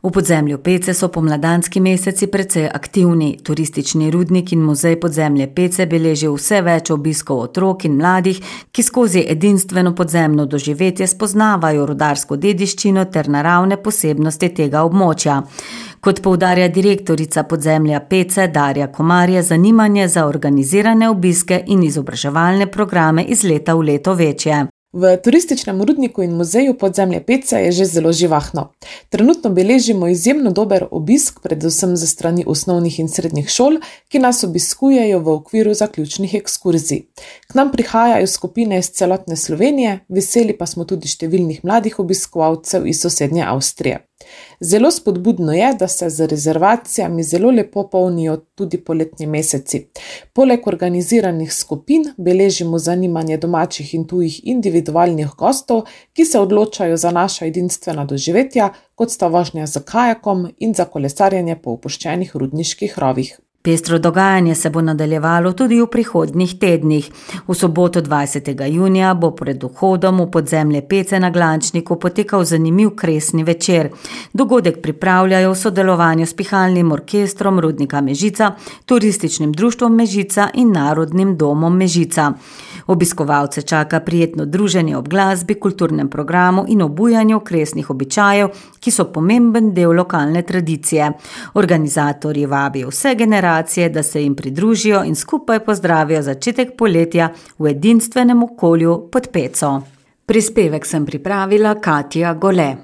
V podzemlju Pece so pomladanski meseci precej aktivni. Turistični rudnik in muzej podzemlje Pece beleži vse več obiskov otrok in mladih, ki skozi edinstveno podzemno doživetje spoznavajo rudarsko dediščino ter naravne posebnosti tega območja. Kot poudarja direktorica podzemlja Pece Darja Komar, je zanimanje za organizirane obiske in izobraževalne programe iz leta v leto večje. V turističnem rudniku in muzeju podzemlje Pece je že zelo živahno. Trenutno beležimo izjemno dober obisk, predvsem za strani osnovnih in srednjih šol, ki nas obiskujejo v okviru zaključnih ekskurzij. K nam prihajajo skupine iz celotne Slovenije, veseli pa smo tudi številnih mladih obiskovalcev iz sosednje Avstrije. Zelo spodbudno je, da se z rezervacijami zelo lepo polnijo tudi poletni meseci. Poleg organiziranih skupin beležimo zanimanje domačih in tujih individualnih gostov, ki se odločajo za naša edinstvena doživetja, kot sta vožnja z kajakom in za kolesarjenje po opuščenih rudniških rovih. Pestro dogajanje se bo nadaljevalo tudi v prihodnjih tednih. V soboto 20. junija bo pred vhodom v podzemlje Pece na Glančniku potekal zanimiv kresni večer. Dogodek pripravljajo v sodelovanju s Pihalnim orkestrom Rudnika Mežica, Turističnim društvom Mežica in Narodnim domom Mežica. Obiskovalce čaka prijetno druženje ob glasbi, kulturnem programu in obujanju kresnih običajev, ki so pomemben del lokalne tradicije. Organizatorji vabijo vse generacije, da se jim pridružijo in skupaj pozdravijo začetek poletja v edinstvenem okolju pod Peco. Prispevek sem pripravila Katja Gole.